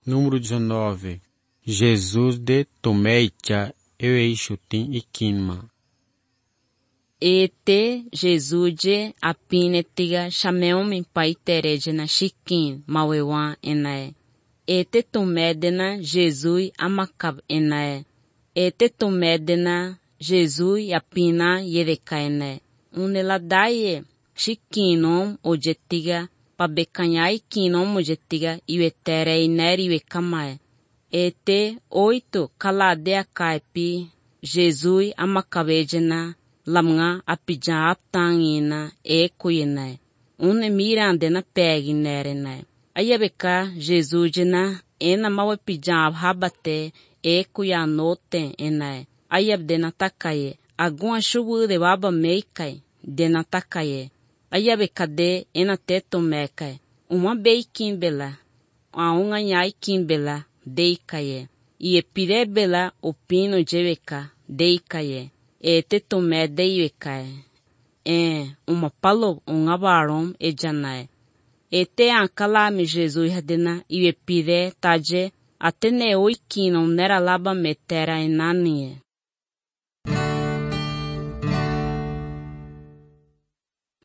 Número 19. Jesus de Tomeicha Eueixutim e Kinma. Ete Jesude apinetiga chameume paitereje na chiquin mauewan enae. Ete tomedena Jesus amakab enae. Ete tomedena Jesus apina yereka enae. Uneladaye chiquinom ojetiga pabecanhai kinom ojetiga iwetere ineri iwekamae. Ete 8 kaladea kaipi Jesus amakabejena lamnga apijan aptangina kuyena. Une mirandena peginerena. Ayabeka Jesus jena ena mawe pijan abhabate kuyanote enae. Ayabdena takaye. Alguma chubu de baba meikai dena takaye. Ayabeka de ena teto mekai. Uma beikimbela. Aunga nyai kimbela deikaye. Iepire bela opino jeweka deikaye. Ete tomé deiwekae. Uma palo barom ejanae. Ete ankalami Jesus hadena iwe pire taje atene oikino nera laba metera enanie.